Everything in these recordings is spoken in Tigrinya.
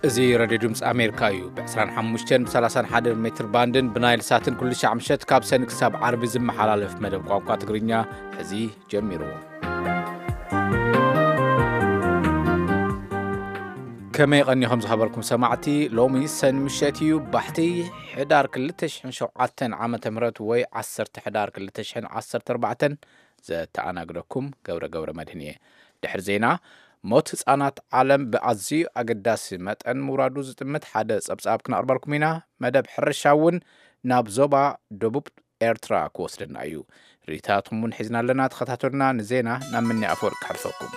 እዚ ረድዮ ድምፂ ኣሜሪካ እዩ። ብ ዕስራን ሓሙሽተን ብ ሰላሳን ሓደ ሜትር ባንድን ብናይል ሳትን ኩሉ ሻዕ ምሸት ካብ ሰኒ ክሳብ ዓርቢ ዝመሓላለፍ መደብ ቋንቋ ትግርኛ ሕዚ ጀሚሩ። ከመይ ቀኒኹም ዝኸበርኩም ሰማዕቲ? ሎሚ ሰኒ ምሸት እዩ፣ ባሕቲ ሕዳር ክልተ ሽሕን ሸውዓተን ዓመተ ምህረት ወይ ዓሰርተ ሕዳር ክልተ ሽሕን ዓሰርተ ኣርባዕተን። ዘተኣናግደኩም ገብረ ገብረ መድህን እየ። ድሕሪ ዜና፣ ሞት ህጻናት ዓለም ብኣዝዩ ኣገዳሲ መጠን ምውራዱ ዝጥምት ሓደ ጸብጻብ ክነቕርበልኩም ኢና። መደብ ሕርሻ እውን ናብ ዞባ ደቡብ ኤርትራ ክወስደና እዩ። ርኢታትኩም እውን ሒዝና ኣለና። ተኸታተሉና። ንዜና ናብ ምኒ ኣፈወርቂ ከሕልፈኩም።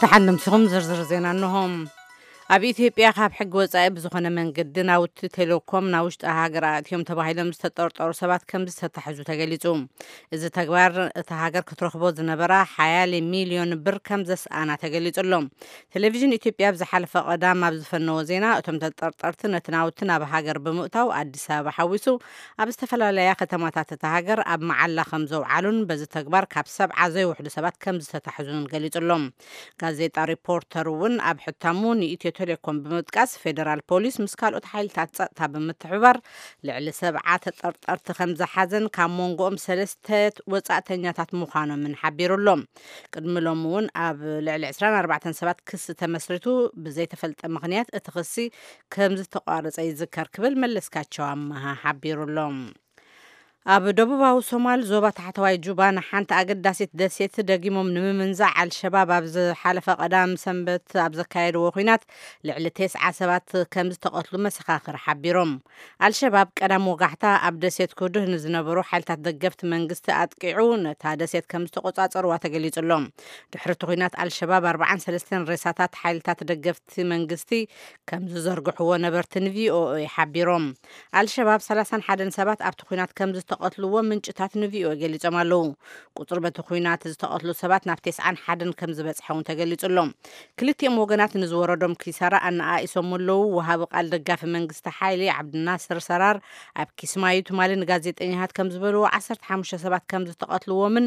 ደሓን ንምስኹም። ዝርዝር ዜና እንሆ። ኣብ ኢትዮጵያ ካብ ሕጊ ወጻኢ ብዝኾነ መንገዲ ናውቲ ቴሌኮም ናብ ውሽጢ ሃገር ኣእትዮም ተባሂሎም ዝተጠርጠሩ ሰባት ከም ዝተታሕዙ ተገሊጹ። እዚ ተግባር እታ ሃገር ክትረኽቦ ዝነበራ ሓያለ ሚልዮን ብር ከም ዘስኣና ተገሊጹ ኣሎ። ቴሌቪዥን ኢትዮጵያ ኣብ ዝሓለፈ ቀዳም ኣብ ዝፈነዎ ዜና፣ እቶም ተጠርጠርቲ ነቲ ናውቲ ናብ ሃገር ብምእታው ኣዲስ ኣበባ ሓዊሱ ኣብ ዝተፈላለያ ከተማታት እታ ሃገር ኣብ መዓላ ከም ዘውዓሉን በዚ ተግባር ካብ ሰብዓ ዘይውሕዱ ሰባት ከም ዝተታሕዙን ገሊጹ ኣሎ። ጋዜጣ ሪፖርተር እውን ኣብ ሕታሙ ንኢትዮ ቴሌኮም ብምጥቃስ ፌደራል ፖሊስ ምስ ካልኦት ሓይልታት ጸጥታ ብምትሕብባር ልዕሊ ሰብዓ ተጠርጠርቲ ከም ዝሓዘን ካብ መንጎኦም ሰለስተ ወጻእተኛታት ምዃኖምን ሓቢሩ ኣሎ። ቅድሚ ሎሚ እውን ኣብ ልዕሊ ዕስራን ኣርባዕተን ሰባት ክሲ ተመስሪቱ ብዘይተፈልጠ ምኽንያት እቲ ክሲ ከም ዝተቋረጸ ይዝከር ክብል መለስካቸው ኣመሃ ሓቢሩ ኣሎ። ኣብ ደቡባዊ ሶማል ዞባ ታሕተዋይ ጁባ ንሓንቲ ኣገዳሲት ደሴት ደጊሞም ንምምንዛዕ ኣልሸባብ ኣብ ዝሓለፈ ቀዳም ሰንበት ኣብ ዘካየድዎ ኲናት ልዕሊ ተስዓ ሰባት ከም ዝተቐትሉ መሰኻኽር ሓቢሮም። ኣልሸባብ ቀዳም ወጋሕታ ኣብ ደሴት ኩዱህ ንዝነበሩ ሓይልታት ደገፍቲ መንግስቲ ኣጥቂዑ ነታ ደሴት ከም ዝተቆጻጸርዋ ተገሊጹ ኣሎ። ድሕሪ እቲ ኲናት ኣልሸባብ ኣርባዓን ሰለስተን ሬሳታት ሓይልታት ደገፍቲ መንግስቲ ከም ዝዘርግሕዎ ነበርቲ ንቪኦኤ ሓቢሮም። ኣልሸባብ ሰላሳን ሓደን ሰባት ኣብቲ ኲናት ከም ዝተቐትልዎ ምንጭታት ንቪኦኤ ገሊጾም ኣለዉ። ቁጽሪ በቲ ኲናት ዝተቐትሉ ሰባት ናብ ተስዓን ሓደን ከም ዝበጽሐ እውን ተገሊጹ ኣሎ። ክልቲኦም ወገናት ንዝወረዶም ኪሳራ ኣነኣኢሶም ኣለዉ። ወሃቢ ቃል ደጋፊ መንግስቲ ሓይሊ ዓብድናስር ሰራር ኣብ ኪስማዩ ትማሊ ንጋዜጠኛታት ከም ዝበልዎ፣ ዓሰርተ ሓሙሽተ ሰባት ከም ዝተቐትልዎምን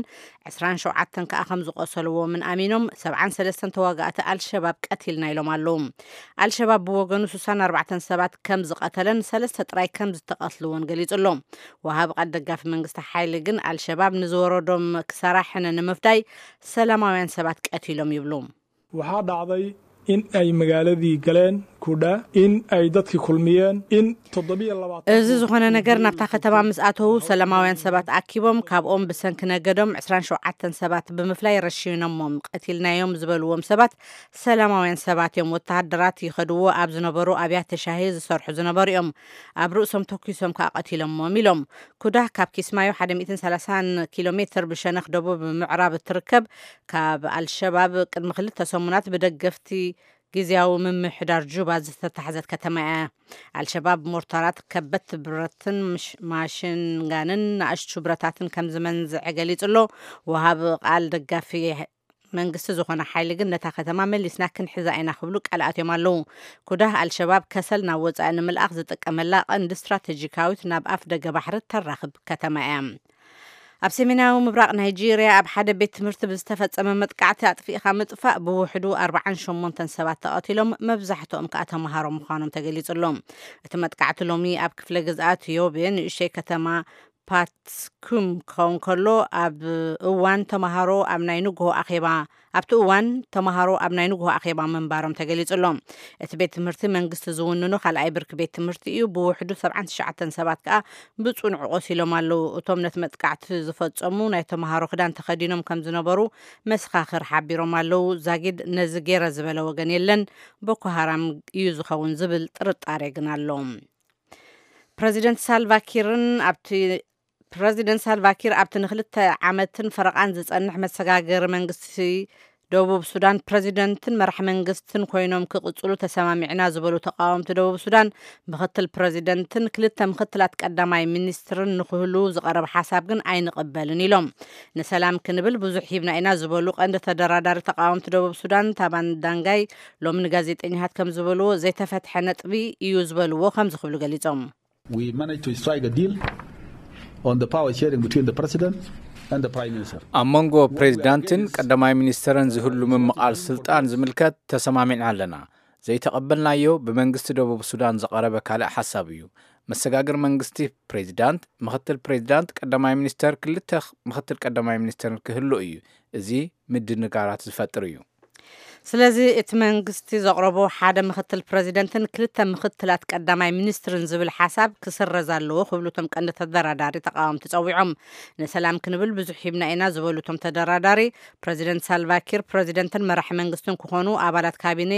ዕስራን ሸውዓተን ከኣ ከም ዝቆሰልዎምን ኣሚኖም፣ ሰብዓን ሰለስተን ተዋጋእቲ ኣልሸባብ ቀቲልና ኢሎም ኣለዉ። ኣልሸባብ ብወገኑ ስሳን ኣርባዕተን ሰባት ከም ዝቐተለን ሰለስተ ጥራይ ከም ዝተቐትልዎን ገሊጹ ኣሎ። ወሃቢ ቃል ደጋፊ መንግስቲ ሓይሊ ግን ኣልሸባብ ንዝወረዶም ክሳራ ሕነ ንምፍዳይ ሰላማውያን ሰባት ቀቲሎም ይብሉ። Waxaa dhacday in ay magaaladii galeen kudha, in ay dadkii kulmiyeen, in toddobiyo labaatan እዚ ዝኾነ ነገር ናብታ ከተማ ምስ ኣተዉ ሰላማውያን ሰባት ኣኪቦም ካብኦም ብሰንኪ ነገዶም ዕስራን ሸውዓተን ሰባት ብምፍላይ ረሺኖሞም። ቀቲልናዮም ዝበልዎም ሰባት ሰላማውያን ሰባት እዮም። ወተሃደራት ይኸድዎ ኣብ ዝነበሩ ኣብያተ ሻሂ ዝሰርሑ ዝነበሩ እዮም። ኣብ ርእሶም ተኲሶም ከኣ ቀቲሎሞም ኢሎም። ኩዳህ ካብ ኪስማዮ ሓደ ሚእትን ሰላሳን ኪሎ ሜትር ብሸነኽ ደቡብ ምዕራብ እትርከብ፣ ካብ ኣልሸባብ ቅድሚ ክልተ ሰሙናት ብደገፍቲ ግዝያዊ ምምሕዳር ጁባ ዝተታሕዘት ከተማ እያ። ኣልሸባብ ሞርታራት፣ ከበድቲ ብረትን ምሽ-፣ ማሽንጋንን ንኣሽቱ ብረታትን ከም ዝመንዝዐ ገሊጹ ኣሎ። ወሃቢ ቃል ደጋፊ መንግስቲ ዝኾነ ሓይሊ ግን ነታ ከተማ መሊስና ክንሕዛ ኢና ክብሉ ቃል ኣትዮም ኣለዉ። ኩዳህ ኣልሸባብ ከሰል ናብ ወጻኢ ንምልኣኽ ዝጥቀመላ ቀንዲ ስትራቴጂካዊት ናብ ኣፍ ደገ ባሕሪ ተራኽብ ከተማ እያ። ኣብ ሰሜናዊ ምብራቕ ናይጄርያ ኣብ ሓደ ቤት ትምህርቲ ብዝተፈጸመ መጥቃዕቲ ኣጥፊእኻ ምጥፋእ ብውሕዱ ኣርባዓን ሸሞንተን ሰባት ተቐቲሎም፣ መብዛሕትኦም ከኣ ተምሃሮ ምዃኖም ተገሊጹ ኣሎ። እቲ መጥቃዕቲ ሎሚ ኣብ ክፍለ ግዝኣት ዮቤ ንእሽተይ ከተማ ፓትስኩም ክኸውን ከሎ፣ ኣብ እዋን ተምሃሮ ኣብ ናይ ንግሆ ኣኼባ ኣብቲ እዋን ተምሃሮ ኣብ ናይ ንግሆ ኣኼባ ምንባሮም ተገሊጹ ኣሎ። እቲ ቤት ትምህርቲ መንግስቲ ዝውንኖ ካልኣይ ብርኪ ቤት ትምህርቲ እዩ። ብውሕዱ ሰብዓን ትሽዓተን ሰባት ከኣ ብጽኑዕ ቆሲሎም ኣለዉ። እቶም ነቲ መጥቃዕቲ ዝፈጸሙ ናይ ተምሃሮ ክዳን ተኸዲኖም ከም ዝነበሩ መሰኻኽር ሓቢሮም ኣለዉ። ዛጊድ ነዚ ገይረ ዝበለ ወገን የለን። ቦኮ ሃራም እዩ ዝኸውን ዝብል ጥርጣሬ ግን ኣሎ። ፕረዚደንት ሳልቫ ኪርን ኣብቲ ፕረዚደንት ሳልቫ ኪር ኣብቲ ንክልተ ዓመትን ፈረቓን ዝጸንሕ መሰጋገሪ መንግስቲ ደቡብ ሱዳን ፕረዚደንትን መራሕ መንግስትን ኮይኖም ክቕጽሉ ተሰማሚዕና ዝበሉ ተቃወምቲ ደቡብ ሱዳን፣ ምክትል ፕረዚደንትን ክልተ ምክትላት ቀዳማይ ሚኒስትርን ንክህልዉ ዝቐረበ ሓሳብ ግን ኣይንቕበልን ኢሎም። ንሰላም ክንብል ብዙሕ ሂብና ኢና ዝበሉ ቀንዲ ተደራዳሪ ተቃወምቲ ደቡብ ሱዳን ታባን ዳንጋይ ሎሚ ንጋዜጠኛታት ከም ዝበልዎ፣ ዘይተፈትሐ ነጥቢ እዩ ዝበልዎ ከምዚ ክብሉ ገሊጾም። We managed to strike a deal on the power sharing between the president and the Prime Minister. ኣብ መንጎ ፕሬዚዳንትን ቀዳማይ ሚኒስተርን ዝህሉ ምምቓል ስልጣን ዝምልከት ተሰማሚዕና ኣለና። ዘይተቐበልናዮ ብመንግስቲ ደቡብ ሱዳን ዝቐረበ ካልእ ሓሳብ እዩ። መሰጋግር መንግስቲ ፕሬዚዳንት፣ ምኽትል ፕሬዚዳንት፣ ቀዳማይ ሚኒስተር፣ ክልተ ምኽትል ቀዳማይ ሚኒስተርን ክህሉ እዩ። እዚ ምድንጋራት ዝፈጥር እዩ። ስለዚ እቲ መንግስቲ ዘቕረቦ ሓደ ምኽትል ፕሬዚደንትን ክልተ ምኽትላት ቀዳማይ ሚኒስትርን ዝብል ሓሳብ ክስረዝ ኣለዎ ክብሉ እቶም ቀንዲ ተደራዳሪ ተቃወምቲ ጸዊዖም። ንሰላም ክንብል ብዙሕ ሂብና ኢና ዝበሉ እቶም ተደራዳሪ፣ ፕሬዚደንት ሳልቫኪር ፕሬዚደንትን መራሒ መንግስትን ክኾኑ፣ ኣባላት ካቢኔ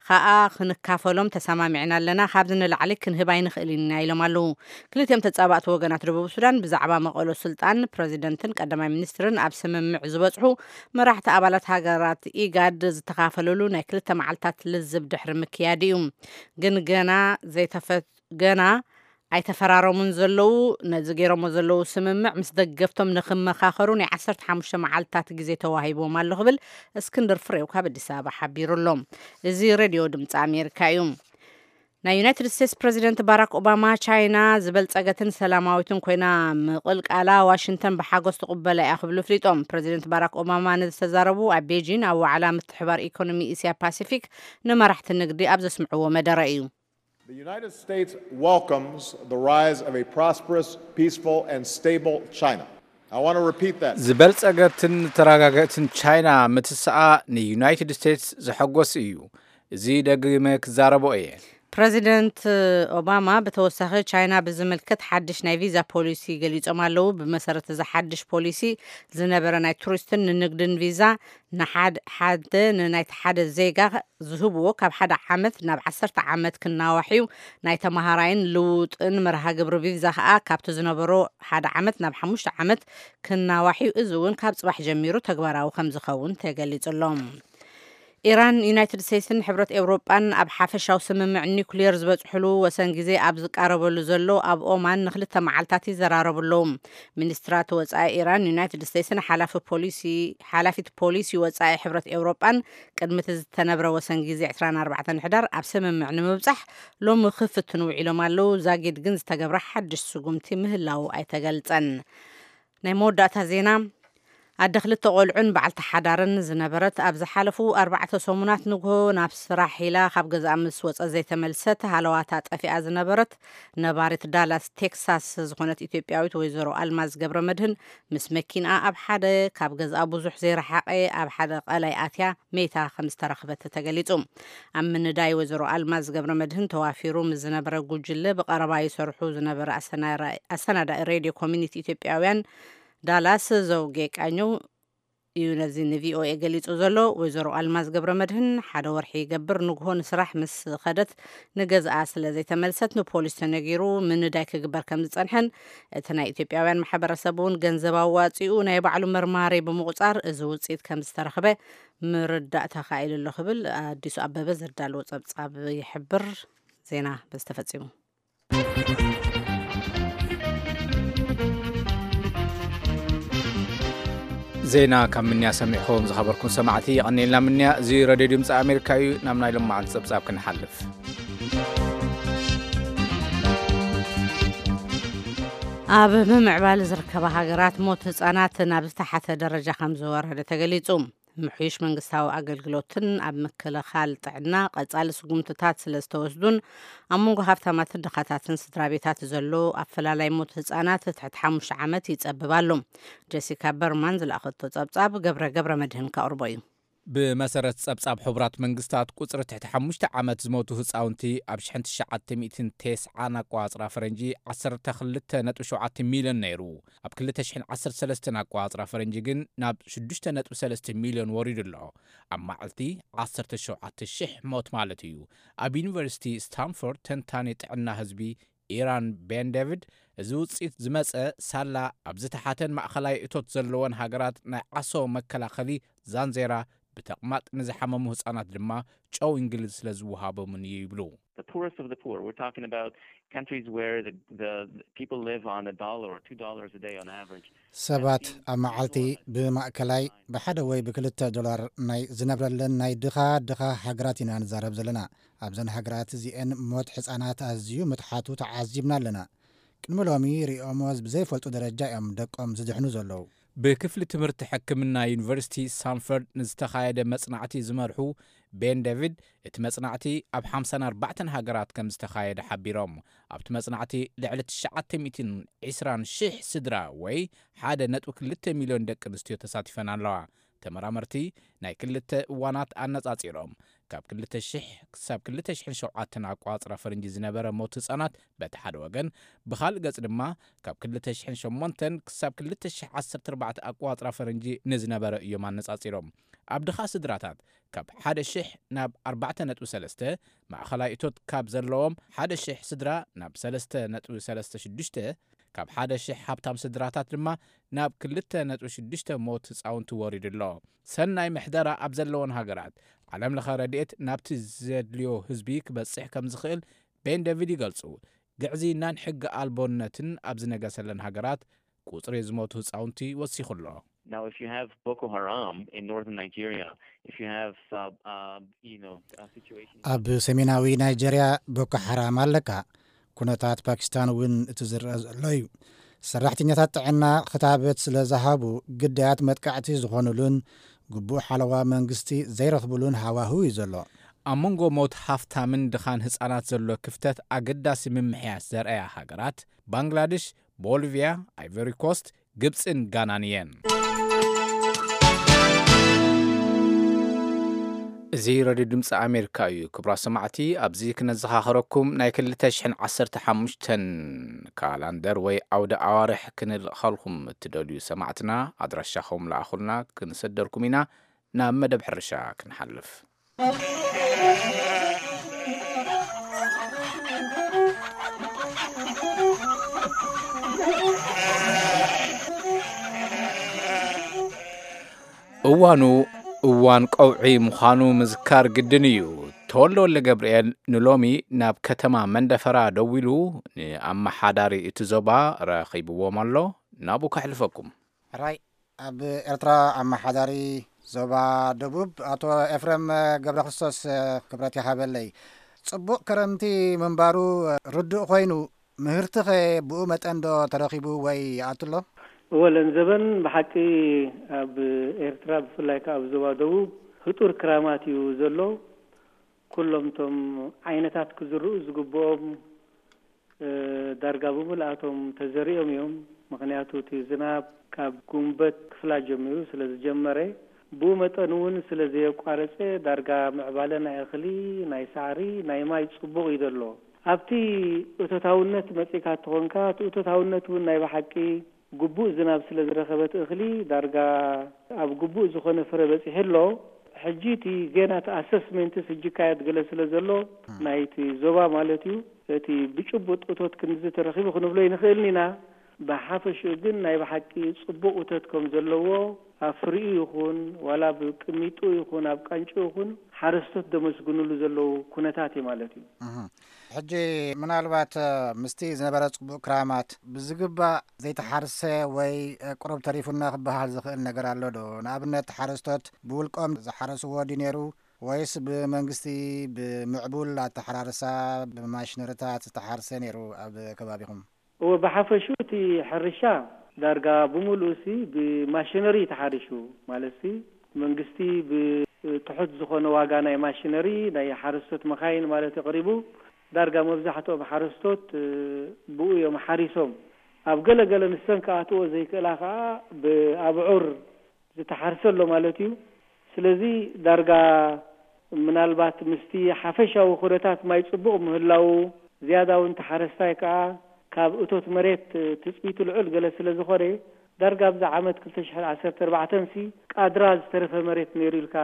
ከኣ ክንካፈሎም ተሰማሚዕና ኣለና፣ ካብዚ ንላዕሊ ክንህብ ኣይንኽእልን ኢና ኢሎም ኣለዉ። ክልቲኦም ተጻባእቲ ወገናት ደቡብ ሱዳን ብዛዕባ መቐሎ ስልጣን ፕሬዚደንትን ቀዳማይ ሚኒስትርን ኣብ ስምምዕ ዝበጽሑ መራሕቲ ኣባላት ሃገራት ኢጋድ ዝተኻፈለሉ ናይ ክልተ መዓልታት ልዝብ ድሕሪ ምክያድ እዩ። ግን ገና ዘይተፈ-፣ ገና ኣይተፈራረሙን ዘለዉ። ነዚ ገይሮሞ ዘለዉ ስምምዕ ምስ ደገፍቶም ንኽመኻኸሩ ናይ ዓሰርተ ሓሙሽተ መዓልታት ግዜ ተዋሂብዎም ኣሎ ክብል እስክንድር ፍሬው ካብ ኣዲስ ኣበባ ሓቢሩ ኣሎ። እዚ ሬድዮ ድምፂ ኣሜሪካ እዩ። ናይ ዩናይትድ ስቴትስ ፕሬዚደንት ባራክ ኦባማ፣ ቻይና ዝበልጸገትን ሰላማዊትን ኮይና ምቕልቃላ ዋሽንግተን ብሓጎስ ትቕበላ እያ ክብሉ ኣፍሊጦም። ፕሬዚደንት ባራክ ኦባማ ነዚ ዝተዛረቡ ኣብ ቤጂን ኣብ ዋዕላ ምትሕባር ኢኮኖሚ እስያ ፓሲፊክ ንመራሕቲ ንግዲ ኣብ ዘስምዕዎ መደረ እዩ። The United States welcomes the rise of a prosperous, peaceful, and stable China. I want to repeat that. ዝበልጸገትን ተረጋገእትን ቻይና ምትስኣ ንዩናይትድ ስቴትስ ዘሐጎስ እዩ። እዚ ደግመ ክዛረቦ እየ። ፕሬዚደንት ኦባማ ብተወሳኺ ቻይና ብዝምልከት ሓድሽ ናይ ቪዛ ፖሊሲ ገሊጾም ኣለዉ። ብመሰረት እዚ ሓድሽ ፖሊሲ ዝነበረ ናይ ቱሪስትን ንንግድን ቪዛ ንሓድ-፣ ሓደ ንናይቲ ሓደ ዜጋ ዝህብዎ ካብ ሓደ ዓመት ናብ ዓሰርተ ዓመት ክናዋሕ እዩ። ናይ ተመሃራይን ልውጥን መርሃ ግብሪ ቪዛ ከኣ ካብቲ ዝነበሮ ሓደ ዓመት ናብ ሓሙሽተ ዓመት ክናዋሕ እዩ። እዚ እውን ካብ ጽባሕ ጀሚሩ ተግባራዊ ከም ዝኸውን ተገሊጹ ኣሎ። ኢራን፣ ዩናይትድ ስቴትስን ሕብረት ኤውሮጳን ኣብ ሓፈሻዊ ስምምዕ ኒኩሌር ዝበጽሕሉ ወሰን ግዜ ኣብ ዝቃረበሉ ዘሎ ኣብ ኦማን ንክልተ መዓልታት ይዘራረቡ ኣለዉ። ሚኒስትራት ወጻኢ ኢራን፣ ዩናይትድ ስቴትስን ሓላፊ ፖሊሲ፣ ሓላፊት ፖሊሲ ወጻኢ ሕብረት ኤውሮጳን ቅድሚ እቲ ዝተነብረ ወሰን ግዜ ዕስራን ኣርባዕተን ሕዳር ኣብ ስምምዕ ንምብጻሕ ሎሚ ክፍትኑ ውዒሎም ኣለዉ። ዛጊድ ግን ዝተገብረ ሓድሽ ስጉምቲ ምህላዉ ኣይተገልጸን። ናይ መወዳእታ ዜና። ኣደ ክልተ ቆልዑን በዓልቲ ሓዳርን ዝነበረት፣ ኣብ ዝሓለፉ ኣርባዕተ ሰሙናት ንግሆ ናብ ስራሕ ኢላ ካብ ገዛኣ ምስ ወጸት ዘይተመልሰት ሃለዋታ ጠፊኣ ዝነበረት ነባሪት ዳላስ ቴክሳስ ዝኾነት ኢትዮጵያዊት ወይዘሮ ኣልማዝ ገብረ መድህን፣ ምስ መኪንኣ ኣብ ሓደ ካብ ገዛኣ ብዙሕ ዘይረሓቐ ኣብ ሓደ ቀላይ ኣትያ መይታ ከም ዝተረኽበት ተገሊጹ። ኣብ ምንዳይ ወይዘሮ ኣልማዝ ገብረ መድህን ተዋፊሩ ምስ ዝነበረ ጉጅለ ብቐረባ ይሰርሑ ዝነበረ ኣሰናራ-፣ ኣሰናዳኢ ሬድዮ ኮሚኒቲ ኢትዮጵያውያን ዳላስ ዘውጌ ቃኘው እዩ ነዚ ንቪኦኤ ገሊጹ ዘሎ። ወይዘሮ ኣልማዝ ገብረ መድህን ሓደ ወርሒ ይገብር ንግሆ ንስራሕ ምስ ኸደት ንገዝኣ ስለ ዘይተመልሰት ንፖሊስ ተነጊሩ ምንዳይ ክግበር ከም ዝጸንሐን እቲ ናይ ኢትዮጵያውያን ማሕበረሰብ እውን ገንዘብ ኣዋጺኡ ናይ ባዕሉ መርማሪ ብምቑጻር እዚ ውጽኢት ከም ዝተረኽበ ምርዳእ ተኻኢሉ ኣሎ ክብል ኣዲሱ ኣበበ ዘዳለዎ ጸብጻብ ይሕብር። ዜና በዚ ተፈጺሙ። ዜና ካብ ምንያ ሰሚዕኹም ዝኸበርኩም ሰማዕቲ የቐንየልና ምንያ። እዚ ረድዮ ድምፂ ኣሜሪካ እዩ። ናብ ናይ ሎማዓንቲ ፀብፃብ ክንሓልፍ። ኣብ ምምዕባል ዝርከባ ሃገራት ሞት ህፃናት ናብ ዝተሓተ ደረጃ ከም ዝወረደ ተገሊፁ። ምሕዩሽ መንግስታዊ ኣገልግሎትን ኣብ ምክልኻል ጥዕና ቀጻሊ ስጉምትታት ስለ ዝተወስዱን ኣብ መንጎ ሃብታማትን ድኻታትን ስድራ ቤታት ዘሎ ኣፈላላይ ሞት ህጻናት ትሕቲ ሓሙሽተ ዓመት ይጸብብ ኣሎ። ጀሲካ በርማን ዝለኣኸቶ ጸብጻብ ገብረ ገብረ መድህን ከቕርቦ እዩ። ብመሰረት ጸብጻብ ሕቡራት መንግስታት ቁጽሪ ትሕቲ ሓሙሽተ ዓመት ዝሞቱ ህጻውንቲ ኣብ ሽሕን ትሽዓተ ሚእትን ተስዓን ኣቋጽራ ፈረንጂ ዓሰርተ ክልተ ነጥቢ ሸውዓተ ሚልዮን ነይሩ። ኣብ ክልተ ሽሕን ዓሰርተ ሰለስተን ኣቋጽራ ፈረንጂ ግን ናብ ሽዱሽተ ነጥቢ ሰለስተ ሚልዮን ወሪዱ ኣሎ። ኣብ መዓልቲ ዓሰርተ ሸውዓተ ሽሕ ሞት ማለት እዩ። ኣብ ዩኒቨርሲቲ ስታንፎርድ ተንታኒ ጥዕና ህዝቢ ኢራን ቤን ዴቪድ፣ እዚ ውጽኢት ዝመጸ ሳላ ኣብ ዝተሓተን ማእኸላይ እቶት ዘለወን ሃገራት ናይ ዓሶ መከላኸሊ ዛንዜራ፣ ብተቕማጥ ንዝሓመሙ ህጻናት ድማ ጨው እንግሊዝ ስለ ዝወሃቦምን እዩ ይብሉ። The poorest of the poor. We're talking about countries where the, the, the people live on a dollar or two dollars a day on average. ሰባት ኣብ መዓልቲ ብማእከላይ ብሓደ ወይ ብክልተ ዶላር ናይ ዝነብረለን ናይ ድኻ ድኻ ሃገራት ኢና ንዛረብ ዘለና። ኣብዘን ሃገራት እዚኤን ሞት ሕፃናት ኣዝዩ ምትሓቱ ተዓዚብና ኣለና። ቅድሚ ሎሚ ሪኦሞ ብዘይፈልጡ ደረጃ እዮም ደቆም ዝድሕኑ ዘለዉ። ብክፍሊ ትምህርቲ ሕክምና ዩኒቨርሲቲ ሳንፈርድ ንዝተኻየደ መጽናዕቲ ዝመርሑ ቤን ዴቪድ፣ እቲ መጽናዕቲ ኣብ ሓምሳን ኣርባዕተን ሃገራት ከም ዝተኻየደ ሓቢሮም። ኣብቲ መጽናዕቲ ልዕሊ ትሽዓተ ሚእትን ዕስራን ሽሕ ስድራ ወይ ሓደ ነጥቢ ክልተ ሚልዮን ደቂ ኣንስትዮ ተሳቲፈን ኣለዋ። ተመራመርቲ ናይ ክልተ እዋናት ኣነጻጺሮም፣ ካብ ክልተ ሽሕ ክሳብ ክልተ ሽሕን ሸውዓተን ኣቋጽራ ፈረንጂ ዝነበረ ሞት ህጻናት በቲ ሓደ ወገን፣ ብኻልእ ገጽ ድማ ካብ ክልተ ሽሕን ሸሞንተን ክሳብ ክልተ ሽሕ ዓሰርተ ኣርባዕተ ኣቋጽራ ፈረንጂ ንዝነበረ እዮም ኣነጻጺሮም። ኣብ ድኻ ስድራታት ካብ ሓደ ሽሕ ናብ ኣርባዕተ ነጥቢ ሰለስተ፣ ማእኸላይ እቶት ካብ ዘለዎም ሓደ ሽሕ ስድራ ናብ ሰለስተ ነጥቢ ሰለስተ ሽዱሽተ፣ ካብ ሓደ ሽሕ ሃብታም ስድራታት ድማ ናብ ክልተ ነጥቢ ሽዱሽተ ሞት ህጻውንቲ ወሪዱ ኣሎ። ሰናይ ምሕደራ ኣብ ዘለወን ሃገራት፣ ዓለም ለኸ ረድኤት ናብቲ ዘድልዮ ህዝቢ ክበጽሕ ከም ዝኽእል ቤን ዴቪድ ይገልጹ። ግዕዝይናን ሕጊ ኣልቦነትን ኣብ ዝነገሰለን ሃገራት፣ ቁጽሪ ዝሞቱ ህጻውንቲ ወሲኹ ኣሎ። Now, if you have Boko Haram in northern Nigeria, if you have, uh, uh, you know, uh, situations ኣብ ሰሜናዊ ናይጀርያ ቦኮ ሓራም ኣለካ። ኩነታት ፓኪስታን እውን እቲ ዝረአ ዘሎ እዩ። ሰራሕተኛታት ጥዕና ክታበት ስለ ዝሃቡ፣ ግዳያት መጥቃዕቲ ዝኾኑሉን ግቡእ ሓለዋ መንግስቲ ዘይረኽብሉን ሃዋህው እዩ ዘሎ። ኣብ መንጎ ሞት ሃፍታምን ድኻን ህጻናት ዘሎ ክፍተት ኣገዳሲ ምምሕያሽ ዘርኣያ ሃገራት፣ ባንግላደሽ፣ ቦሊቪያ፣ ኣይቨሪ ኮስት፣ ግብጽን ጋናን እየን። እዚ ሬድዮ ድምፂ ኣሜሪካ እዩ። ክቡራት ሰማዕቲ፣ ኣብዚ ክነዘኻኸረኩም፣ ናይ ክልተ ሽሕን ዓሰርተ ሓሙሽተን ካላንደር ወይ ኣውደ ኣዋርሕ ክንልእኸልኩም እትደልዩ ሰማዕትና፣ ኣድራሻኹም ለኣኹልና፣ ክንሰደልኩም ኢና። ናብ መደብ ሕርሻ ክንሓልፍ። እዋኑ እዋን ቀውዒ ምዃኑ ምዝካር ግድን እዩ። ተወልደ ወልደ ገብርኤል ንሎሚ ናብ ከተማ መንደፈራ ደዊሉ፣ ንኣመሓዳሪ እቲ ዞባ ረኺብዎም ኣሎ። ናብኡ ከሕልፈኩም። ሕራይ፣ ኣብ ኤርትራ ኣመሓዳሪ ዞባ ደቡብ ኣቶ ኤፍሬም ገብረክርስቶስ ክብረት ይሃበለይ። ጽቡቕ ክረምቲ ምንባሩ ርዱእ ኮይኑ፣ ምህርቲኸ ብኡ መጠን ዶ ተረኺቡ ወይ ይኣቱ ኣሎ? እወ፣ ለን ዘበን ብሓቂ ኣብ ኤርትራ፣ ብፍላይ ከኣ ኣብ ዞባ ደቡብ፣ ህጡር ክራማት እዩ ዘሎ። ኩሎም እቶም ዓይነታት ክዝርኡ ዝግብኦም፣ እ፣ ዳርጋ ብምልኣቶም ተዘሪኦም እዮም። ምኽንያቱ፣ እቲ ዝናብ ካብ ጉንበት ክፍላ ጀሚሩ ስለ ዝጀመረ፣ ብኡ መጠን እውን ስለ ዘየቋረጸ፣ ዳርጋ ምዕባለ ናይ እኽሊ፣ ናይ ሳዕሪ፣ ናይ ማይ ጽቡቕ እዩ ዘሎ። ኣብቲ እቶታውነት መጺእካ እንተኾንካ፣ እቲ እቶታውነት እውን ናይ ብሓቂ ግቡእ ዝናብ ስለ ዝረኸበ፣ እቲ እኽሊ ዳርጋ ኣብ ግቡእ ዝኾነ ፍረ በጺሑ ኣሎ። ሕጂ እቲ ጌና እቲ ኣሰስሜንትስ ሕጂ ይካየድ ገለ ስለ ዘሎ፣ ም። ናይቲ ዞባ ማለት እዩ፣ እቲ ብጭቡጥ እቶት ክንድዚ ተረኺቡ ክንብሎ ኣይንኽእልን ኢና። ብሓፈሽኡ ግን ናይ ብሓቂ ጽቡቕ እቶት ከም ዘለዎ፣ ኣብ ፍሪኡ ይኹን ዋላ ኣብ ቅሚጡ ይኹን ኣብ ቃንጭኡ ይኹን፣ ሓረስቶት ደመስግኑሉ ዘለዉ ኩነታት እዩ ማለት እዩ። እህ። ሕጂ ምናልባት፣ እ፣ ምስቲ ዝነበረ ጽቡቕ ክራማት ብዝግባእ ዘይተሓርሰ ወይ፣ እ፣ ቁሩብ ተሪፉና ክበሃል ዝኽእል ነገር ኣሎ ዶ? ንኣብነት፣ ሓረስቶት ብውልቆም ዝሓረስዎ ድዩ ነይሩ፣ ወይስ ብመንግስቲ ብምዕቡል ኣተሓራርሳ ብማሽነሪታት ዝተሓርሰ ነይሩ ኣብ ከባቢኹም? እወ፣ ብሓፈሽኡ እቲ ሕርሻ ዳርጋ ብምሉኡሲ ብማሽነሪ እዩ ተሓሪሹ። ማለትሲ፣ መንግስቲ ብትሑት ዝኾነ ዋጋ ናይ ማሽነሪ፣ ናይ ሓረስቶት መኻይን ማለት እዩ፣ ቀሪቡ። ዳርጋ መብዛሕትኦም ሓረስቶት፣ እ፣ ብኡ እዮም ሓሪሶም። ኣብ ገለ ገለ ንሰን ክኣትዎ ዘይክእላ ከኣ ብኣብዑር ዝተሓርሰ ኣሎ ማለት እዩ። ስለዚ ዳርጋ ምናልባት ምስቲ ሓፈሻዊ ኩነታት ማይ ጽቡቕ ምህላዉ፣ ዝያዳ እውን ተሓረስታይ ከኣ ካብ እቶት መሬት ትጽቢቱ ልዑል ገለ ስለ ዝኾነ፣ ዳርጋ ኣብዚ ዓመት ክልተ ሽሕን ዓሰርተ ኣርባዕተን ሲ ቃድራ ዝተረፈ መሬት ነይሩ ኢልካ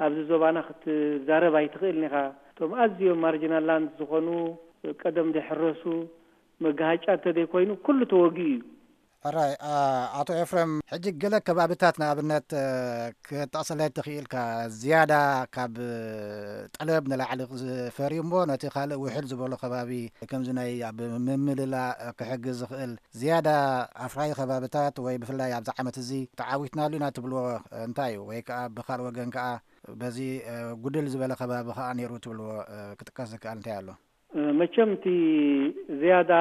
ኣብዚ ዞባና ክትዛረብ ኣይትኽእልን ኢኻ። እቶም ኣዝዮም ማርጂናል ላንድ ዝኾኑ፣ ቀደም ዘይሕረሱ፣ መጋሃጫ እንተዘይኮይኑ ኩሉ ተወጊኡ እዩ። ሕራይ፣ ኣ-፣ ኣቶ ኤፍሬም፣ ሕጂ ገለ ከባብታት ንኣብነት፣ እ፣ ክትጠቕሰለይ ትኽኢልካ? ዝያዳ ካብ፣ እ፣ ጠለብ ንላዕሊ ዝፈርዩ እሞ ነቲ ካልእ ውሕድ ዝበሎ ከባቢ ከምዚ ናይ ኣብ ምምልላእ ክሕግዝ ዝኽእል ዝያዳ ኣፍራዪ ከባብታት ወይ ብፍላይ ኣብዚ ዓመት እዚ ተዓዊትናሉ ኢና ትብልዎ እንታይ እዩ? ወይ ከኣ ብኻልእ ወገን ከኣ በዚ፣ እ፣ ጉድል ዝበለ ከባቢ ከኣ ነይሩ ትብልዎ፣ እ፣ ክጥቀስ ዝከኣል እንታይ ኣሎ? መቸም እቲ ዝያዳ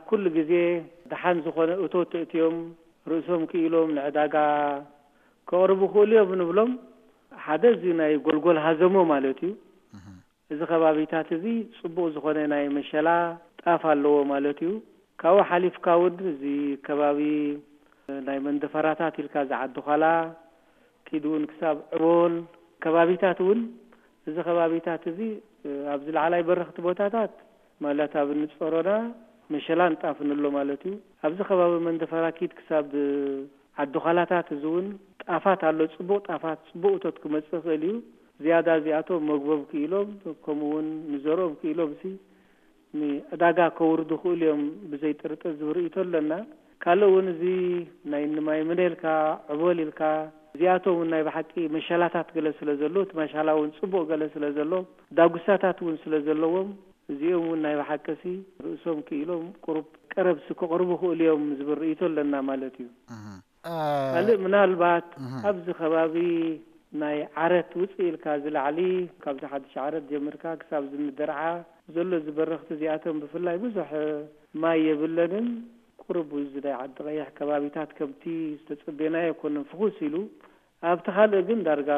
ኩሉ ግዜ ደሓን ዝኾነ እቶት ተእትዮም፣ ርእሶም ክኢሎም ንዕዳጋ ከቕርቡ ክእሉ እዮም ንብሎም። ሓደ እዚ ናይ ጎልጎል ሃዘሞ ማለት እዩ። እዚ ከባቢታት እዚ ጽቡቕ ዝኾነ ናይ መሸላ ጣፍ ኣለዎ ማለት እዩ። ካብኡ ሓሊፍካ እውን እዚ ከባቢ ናይ መንደፈራታት ኢልካ ዝዓዲ ኳላ ኪድ እውን ክሳብ ዕቦል ከባቢታት እውን፣ እዚ ከባቢታት እዚ ኣብዚ ላዕላይ በረኽቲ ቦታታት ማለት ኣብ ንጾሮና መሸላን ጣፍን ኣሎ ማለት እዩ። ኣብዚ ከባቢ መንደፈራ ኪድ ክሳብ ዓዲ ኳላታት እዚ እውን ጣፋት ኣሎ፣ ጽቡቕ ጣፋት፣ ጽቡቕ እቶት ክመጽእ ይኽእል እዩ። ዝያዳ እዚኣቶም መግቦም ክኢሎም፣ ከምኡ እውን ንዘርኦም ክኢሎም ሲ ንዕዳጋ ከውርዱ ክእሉ እዮም ብዘይ ጥርጥር ዝብል ርእይቶ ኣለና። ካልእ እውን እዚ ናይ ንማይ ምነ ኢልካ፣ ዕቦል ኢልካ፣ እዚኣቶም እውን ናይ ብሓቂ መሸላታት ገለ ስለ ዘሎ፣ እቲ መሻላ እውን ጽቡቕ ገለ ስለ ዘሎ፣ ዳጉሳታት እውን ስለ ዘለዎም፣ እዚኦም እውን ናይ ብሓቂ ሲ ርእሶም ክኢሎም ቁሩብ ቀረብ ሲ ክቕርቡ ክእሉ እዮም ዝብል ርእይቶ ኣለና ማለት እዩ። ካልእ ምናልባት ኣብዚ ከባቢ ናይ ዓረት ውፅእ ኢልካ ዝላዕሊ ካብዚ ሓድሽ ዓረት ጀምርካ ክሳብ ዝንደርዓ ዘሎ ዝበረኽቲ እዚኣቶም ብፍላይ ብዙሕ ማይ የብለንን። ቁሩብ እዚ ናይ ዓዲ ቀይሕ ከባቢታት ከምቲ ዝተጸበናዮ ኣይኮነን ፍኹስ ኢሉ፣ ኣብቲ ካልእ ግን ዳርጋ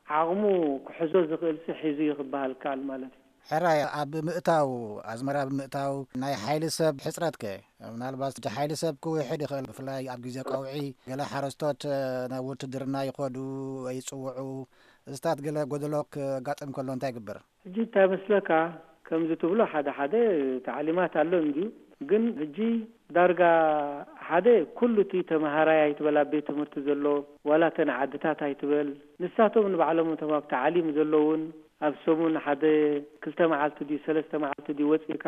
ዓቕሙ ክሕዞ ዝኽእል ሲ ሒዙ እዩ ክበሃል ከኣል ማለት እዩ። ሕራይ ኣብ ምእታው ኣዝመራ ብምእታው ናይ ሓይሊ ሰብ ሕፅረት ከ? ምናልባት እቲ ሓይሊ ሰብ ክውሕድ ይኽእል፣ ብፍላይ ኣብ ግዜ ቀውዒ ገለ ሓረስቶት ናብ ውትድርና ይኸዱ ወይ ይፅውዑ። እዚታት ገለ ጎደሎ ክጋጥም ከሎ እንታይ ይግበር? ሕጂ እንታይ መስለካ፣ ከምዚ ትብሎ ሓደ ሓደ ታዕሊማት ኣሎ እንድዩ። ግን ሕጂ ዳርጋ ሓደ ኩሉ እቲ ተምሃራይ ኣይትበል ኣብ ቤት ትምህርቲ ዘሎ ዋላ እተን ዓድታት ኣይትበል፣ ንሳቶም ንባዕሎም እቶም ኣብ ታዕሊም ዘለውን ኣብ ሰሙን ሓደ ክልተ መዓልቲ ድዩ ሰለስተ መዓልቲ ድዩ ወፂእካ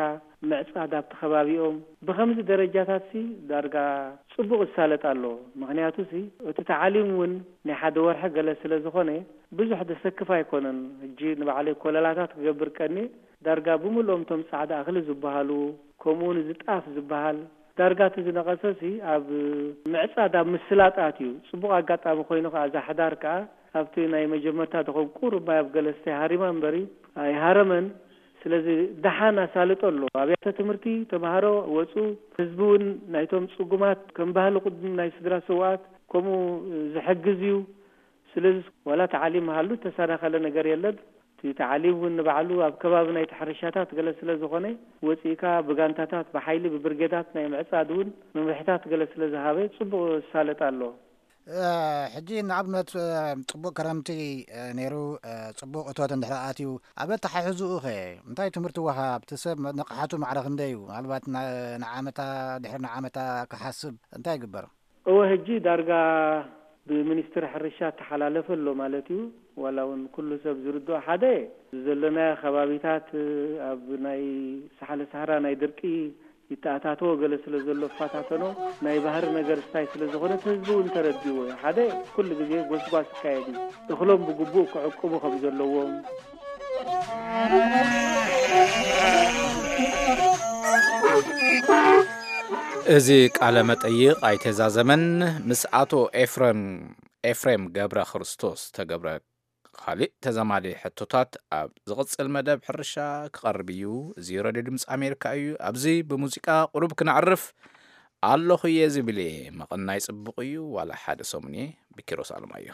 ምዕፃድ ኣብቲ ከባቢኦም። ብኸምዚ ደረጃታት ሲ ዳርጋ ፅቡቕ ይሳለጥ ኣሎ። ምኽንያቱ ሲ እቲ ታዕሊም እውን ናይ ሓደ ወርሒ ገለ ስለ ዝኾነ ብዙሕ ደሰክፍ ኣይኮነን። ሕጂ ንባዕለይ ኮለላታት ክገብር ቀኒ ዳርጋ ብምልኦም እቶም ፃዕዳ እኽሊ ዝበሃሉ፣ ከምኡ እውን እዚ ጣፍ ዝበሃል ዳርጋ እቲ ዝነቐሰ ሲ ኣብ ምዕፃድ ኣብ ምስላጣት እዩ። ፅቡቕ ኣጋጣሚ ኮይኑ ከዓ እዛ ሕዳር ከዓ ኣብቲ ናይ መጀመርታ ድኾን ቁሩብ ማይ ኣብ ገለ ስታይ ሃሪማ እምበሪ ኣይሃረመን። ስለዚ ደሓን ኣሳልጦ ኣሎ። ኣብያተ ትምህርቲ ተምሃሮ ወፁ፣ ህዝቢ እውን ናይቶም ፅጉማት ከም ባህሊ ቅድም ናይ ስድራ ስውኣት ከምኡ ዝሕግዝ እዩ። ስለዚ ዋላ ተዓሊም ሃሉ ተሰናኸለ ነገር የለን። እቲ ተዓሊም እውን ንባዕሉ ኣብ ከባቢ ናይቲ ሕርሻታት ገለ ስለ ዝኾነ ወፂእካ ብጋንታታት ብሓይሊ ብብርጌዳት ናይ ምዕፃድ እውን መምርሕታት ገለ ስለ ዝሃበ ፅቡቕ ዝሳለጥ ኣሎ። ሕጂ ንኣብነት ፅቡቅ ክረምቲ ነይሩ፣ ፅቡቅ እቶት እንድሕር ኣትዩ፣ ኣብ ኣተሓሕዝኡ ኸ እንታይ ትምህርቲ ወሃብ? እቲ ሰብ ንቕሓቱ ማዕረ ክንደይ እዩ? ምናልባት ንዓመታ ድሕሪ ንዓመታ ክሓስብ እንታይ ይግበር? እወ፣ ሕጂ ዳርጋ ብሚኒስትሪ ሕርሻ እተሓላለፈ ኣሎ ማለት እዩ። ዋላ እውን ኩሉ ሰብ ዝርድኦ ሓደ፣ ዘለናዮ ከባቢታት ኣብ ናይ ሳሕለ ሳህራ ናይ ድርቂ ይተኣታተዎ ገለ ስለ ዘሎ እፋታተኖ ናይ ባህሪ ነገር ስታይ ስለ ዝኾነ እቲ ህዝቢ እውን ተረዲዎ እዩ። ሓደ ኩሉ ግዜ ጎስጓስ ይካየድ እዩ። እኽሎም ብግቡእ ክዕቅቡ ከም ዘለዎም። እዚ ቃለ መጠይቕ ኣይተዛዘመን ምስ ኣቶ ኤፍረም ኤፍሬም ገብረ ክርስቶስ ተገብረ። ካልእ ተዛማዲ ሕቶታት ኣብ ዝቕጽል መደብ ሕርሻ ክቐርብ እዩ። እዚ ረድዮ ድምፂ ኣሜሪካ እዩ። ኣብዚ ብሙዚቃ ቁሩብ ክነዕርፍ ኣለኹ እየ ዝብል እየ። መቐናይ ጽቡቕ እዩ። ዋላ ሓደ ሰሙን እየ። ብኪሮስ ኣለማዮ።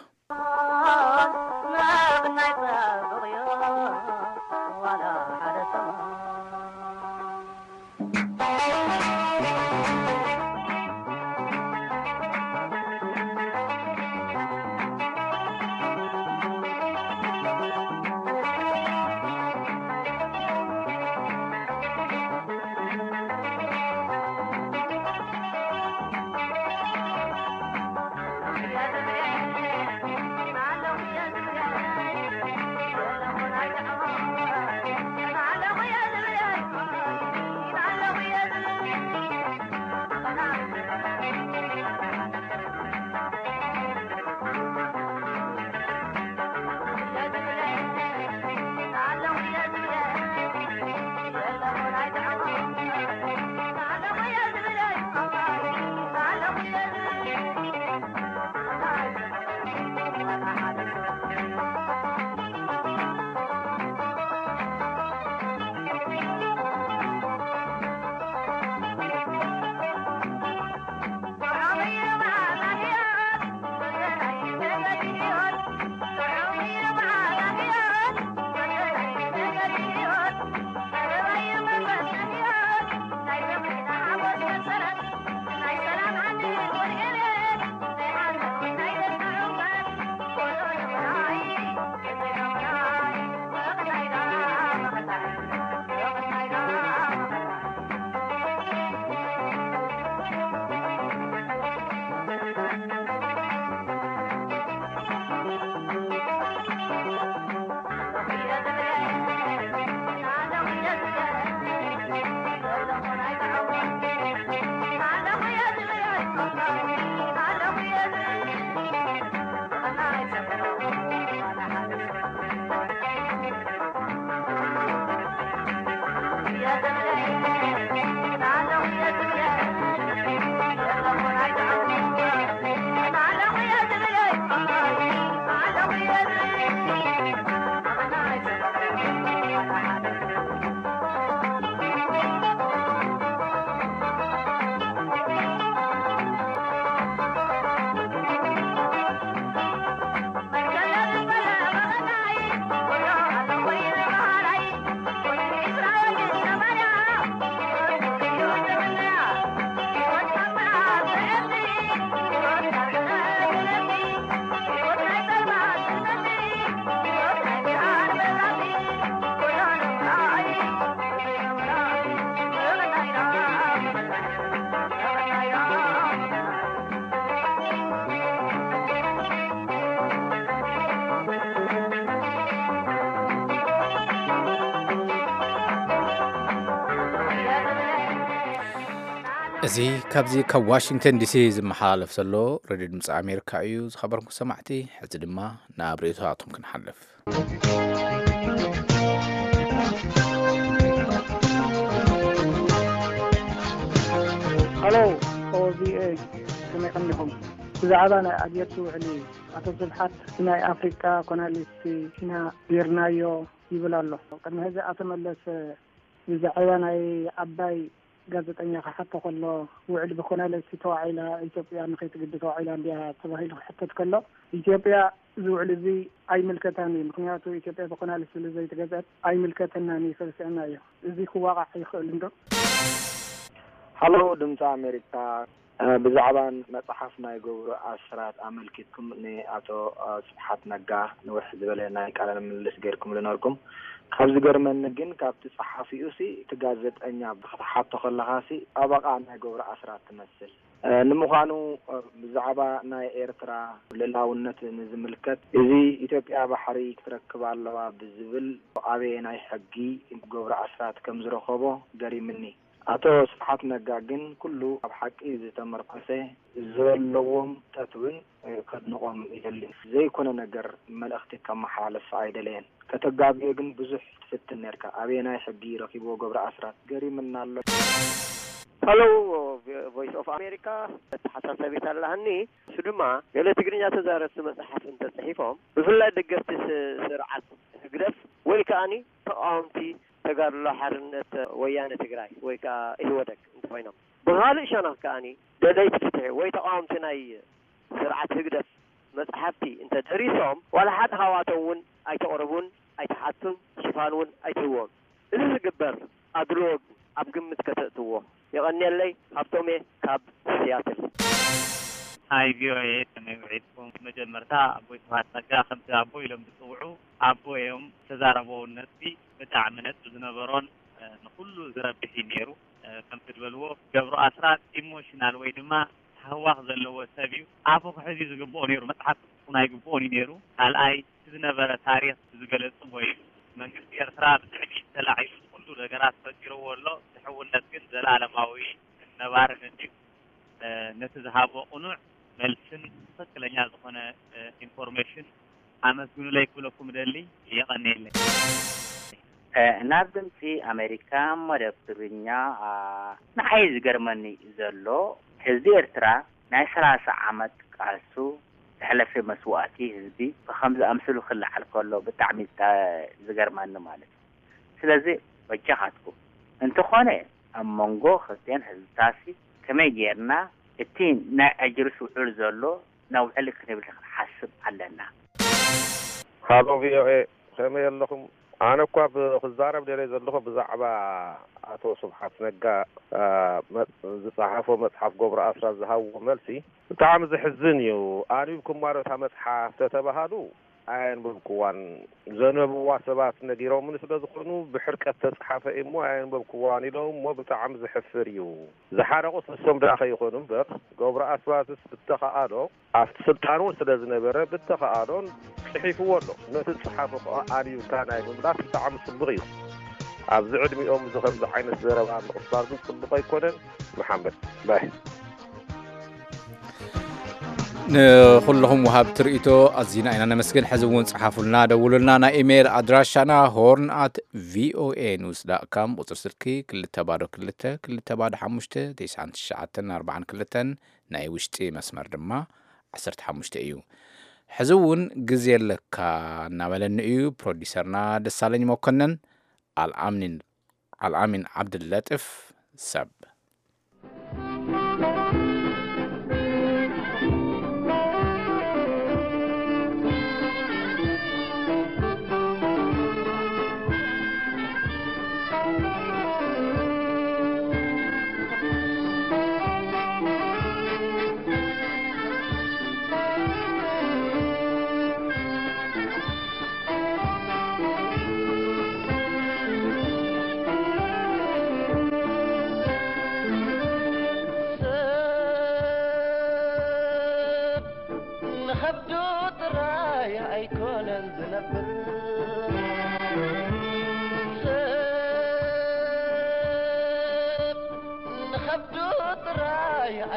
እዚ ካብዚ ካብ ዋሽንግተን ዲሲ ዝመሓላለፍ ዘሎ ሬድዮ ድምፂ ኣሜሪካ እዩ። ዝኸበርኩም ሰማዕቲ፣ ሕዚ ድማ ናብ ርእይቶታቶም ክንሓልፍ። ሃሎ ኦቪኤ፣ ከመይ ቀኒኹም? ብዛዕባ ናይ ኣልጀርስ ውዕሊ ኣቶ ስብሓት ናይ ኣፍሪቃ ኮናሊስት ኢና ጌርናዮ ይብል ኣሎ። ቅድሚ ሕዚ ኣቶ መለስ ብዛዕባ ናይ ዓባይ ጋዜጠኛ ክሓቶ ከሎ፣ ውዕል ብኮናለሲ ተዋዒላ ኢትዮጵያ ንኸይትግዲ ተዋዒላ እንዲያ ተባሂሉ ክሕተት ከሎ፣ ኢትዮጵያ እዚ ውዕል እዚ ኣይምልከታን እዩ፣ ምክንያቱ ኢትዮጵያ ብኮናለሲ ስለ ዘይተገዝአት ኣይምልከተናን እዩ፣ ሰልሲዕና እዩ። እዚ ክዋቃዕ ይኽእል እንዶ? ሃሎ ድምፂ ኣሜሪካ፣ ብዛዕባ መፅሓፍ ናይ ገብሩ ኣስራት ኣመልኪትኩም ንኣቶ ስብሓት ነጋ ንውሕ ዝበለ ናይ ቃለ ምልልስ ገይርኩምሉ ነርኩም። ካብ ዝገርመኒ ግን ካብቲ ጸሓፊኡ ሲ እቲ ጋዜጠኛ ክትሓቶ ከለኻ ሲ ጠበቓ ናይ ገብሩ ኣስራት ትመስል። ንምዃኑ ብዛዕባ ናይ ኤርትራ ልእላውነት ንዝምልከት እዚ ኢትዮጵያ ባሕሪ ክትረክብ ኣለዋ ብዝብል ኣበየናይ ሕጊ ገብሩ ኣስራት ከም ዝረኸቦ ገሪምኒ። ኣቶ ስብሓት ነጋ ግን ኩሉ ኣብ ሓቂ ዝተመርኮሰ ዘለዎም ጠትውን ከድንቖም ይደሊ ዘይኮነ ነገር መልእኽቲ ከመሓላልፍ ኣይደለየን። ከተጋግዮ ግን ብዙሕ ትፍትን ነርካ። ኣበየናይ ሕጊ ረኺብዎ ገብረ ኣስራት? ገሪምና ኣሎ። ሄሎ ቮይስ ኦፍ ኣሜሪካ፣ መተሓሳሰቢት ኣለሃኒ። እሱ ድማ ገለ ትግርኛ ተዛረብቲ መፅሓፍ እንተፅሒፎም ብፍላይ ደገፍቲ ስርዓት ህግደፍ ወይ ከዓኒ ተቃወምቲ ተጋድሎ ሓርነት ወያነ ትግራይ ወይ ከዓ ኢህወደግ እንተኮይኖም ብካልእ ሸነኽ ከዓኒ ደለይቲ ፍትሒ ወይ ተቃወምቲ ናይ ስርዓት ህግደፍ መፅሓፍቲ እንተደሪሶም ዋላ ሓደ ካብኣቶም እውን ኣይተቕርቡን ኣይትሓቱን ሽፋን እውን ኣይትህዎም። እዚ ዝግበር ኣድልዎ ኣብ ግምት ከተእትዎ። የቐንየለይ። ሃብቶሜ ካብ ሲያትል። ሃይ ቪኦኤ ከመይ ውዒልኩም? መጀመርታ ኣቦይ ስብሓት ነጋ ከምቲ ኣቦ ኢሎም ዝፅውዑ ኣቦ እዮም። ዝተዛረብዎ ነጥቢ ብጣዕሚ ነጥቢ ዝነበሮን ንኩሉ ዝረብሕ እዩ ነይሩ። ከምቲ ዝበልዎ ገብሩ ኣስራት ኢሞሽናል ወይ ድማ ታህዋኽ ዘለዎ ሰብ እዩ። ኣፉ ክሕዝ እዩ ዝግብኦ ነይሩ። መፅሓፍ ክፅሕፉ ናይ ግብኦን እዩ ነይሩ። ካልኣይ እቲ ዝነበረ ታሪኽ ዝገለፅዎ እዩ። መንግስቲ ኤርትራ ብትዕቢት ተላዒሉ ኩሉ ነገራት ፈጢርዎ ኣሎ። እቲ ሕውነት ግን ዘላለማዊ ነባርን እንድዩ። ነቲ ዝሃቦ ቅኑዕ መልስን ትኽክለኛ ዝኾነ ኢንፎርሜሽን ኣመስግኑለይ ክብለኩም እደሊ። የቐንየለይ። ናብ ድምፂ ኣሜሪካ መደብ ትግርኛ። ንዓይ ዝገርመኒ ዘሎ ህዝቢ ኤርትራ ናይ ሰላሳ ዓመት ቃልሱ ዘሕለፈ መስዋእቲ ህዝቢ ብከምዚ ኣምስሉ ክለዓል ከሎ ብጣዕሚ ዝገርመኒ ማለት እዩ። ስለዚ በጃኻትኩም እንተኾነ ኣብ መንጎ ክልቲኤን ህዝብታሲ ከመይ ጌርና እቲ ናይ ኣጅርስ ውዕል ዘሎ ነውዕል ክንብል ክንሓስብ ኣለና። ሃሎ ቪኦኤ፣ ከመይ ኣለኹም? ኣነ እኳ ብ- ክዛረብ ደልየ ዘለኹ ብዛዕባ ኣቶ ስብሓት ነጋ ዝፀሓፎ መፅሓፍ ገብሩ ኣስራት ዝሃብዎ መልሲ ብጣዕሚ ዘሕዝን እዩ። ኣንቢብኩማ ዶ እታ መፅሓፍ ተተባሃሉ ኣየንበብኩዋን። ዘንበብዋ ሰባት ነጊሮምኒ ስለ ዝኾኑ ብሕርቀት ተፅሓፈ እሞ ኣየንበብኩዋን ኢሎም እሞ ብጣዕሚ ዘሕፍር እዩ። ዝሓረቑስ ንሶም ደኣ ከይኾኑ እምበር ገብሩ ኣስራትስ ብተኸኣሎ ኣብቲ ስልጣን እውን ስለ ዝነበረ ብተኸኣሎን ፅሒፍዎ ኣሎ። ነቲ ዝፀሓፎ ከዓ ኣንቢብካ ናይ ምምላስ ብጣዕሚ ፅቡቕ እዩ። ኣብዚ ዕድሚኦም እዚ ከምዚ ዓይነት ዘረባ ምቕባል ግን ፅቡቕ ኣይኮነን። መሓመድ ባይ ንኩልኹም ወሃብቲ ርእይቶ ኣዚና ኢና ነመስግን። ሕዚ እውን ፀሓፉልና፣ ደውሉልና። ናይ ኢሜይል ኣድራሻና ሆርን ኣት ቪኦኤ ኒውስ ዳት ካም፣ ቁፅሪ ስልኪ ክልተ ባዶ ክልተ ክልተ ባዶ ሓሙሽተ ተስዓን ትሽዓተን ኣርባዓን ክልተን፣ ናይ ውሽጢ መስመር ድማ ዓሰርተ ሓሙሽተ እዩ። ሕዚ እውን ግዜ ኣለካ እናበለኒ እዩ ፕሮዲሰርና ደሳለኝ መኮነን። ኣልኣሚን ዓብድለጢፍ ሰብ።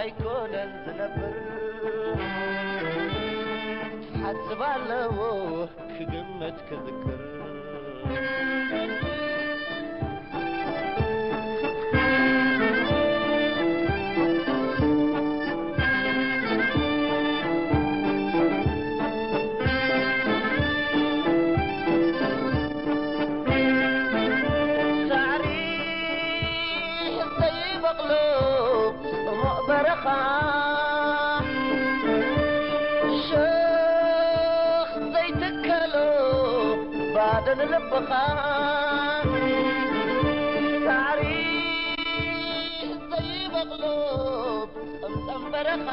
ኣይኮነን ዝነብር፣ ሓስብ ኣለዎ ክግመት ክዝክር። ሳዕሪ ዘይበቕሎ ጽሙቕ በረኻ፣ ሸኽ ዘይትከሎ ባዶ ንልብኻ። ሳዕሪ ዘይበቕሎ ጸምጸም በረኻ።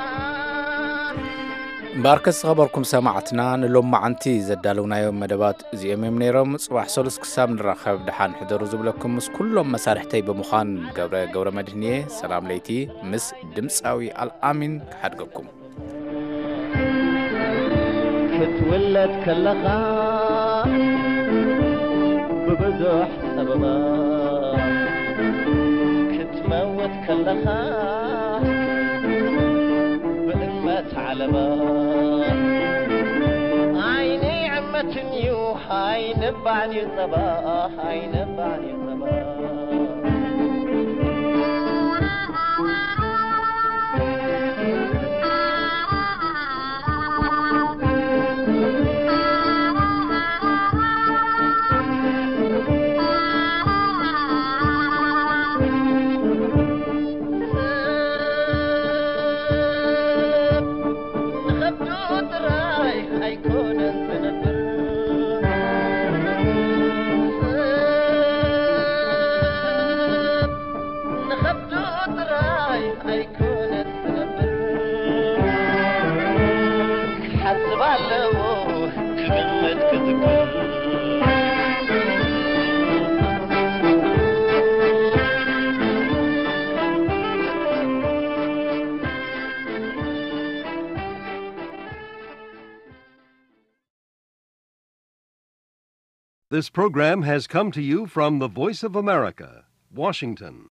እምበኣርከስ ዝኸበርኩም ሰማዕትና፣ ንሎማዓንቲ ዘዳለውናዮም መደባት እዚኦም እዮም ነይሮም። ጽባሕ ሰሉስ ክሳብ ንራኸብ ደሓን ሕደሩ ዝብለኩም ምስ ኩሎም መሳርሕተይ ብምዃን ገብረ ገብረ መድህን እየ። ሰላም ለይቲ ምስ ድምፃዊ ኣልኣሚን ክሓድገኩም። ክትውለድ ከለኻ ብብዙሕ ጸበባ፣ ክትመውት ከለኻ ብእመት ዓለባ። ዓይኒ ዕመትን እዩ፣ ኣይንባዕን እዩ ጸባ፣ ኣይንባዕን እዩ ጸባ። ንኸብዱ ጥራይ ኣይኮነን ዝነብር፣ ንኸብዱ ጥራይ ኣይኮነን ዝነብር፣ ክሓስብ ኣለዎ ክግመት ክዝክር። This program has come to you from the Voice of America, Washington.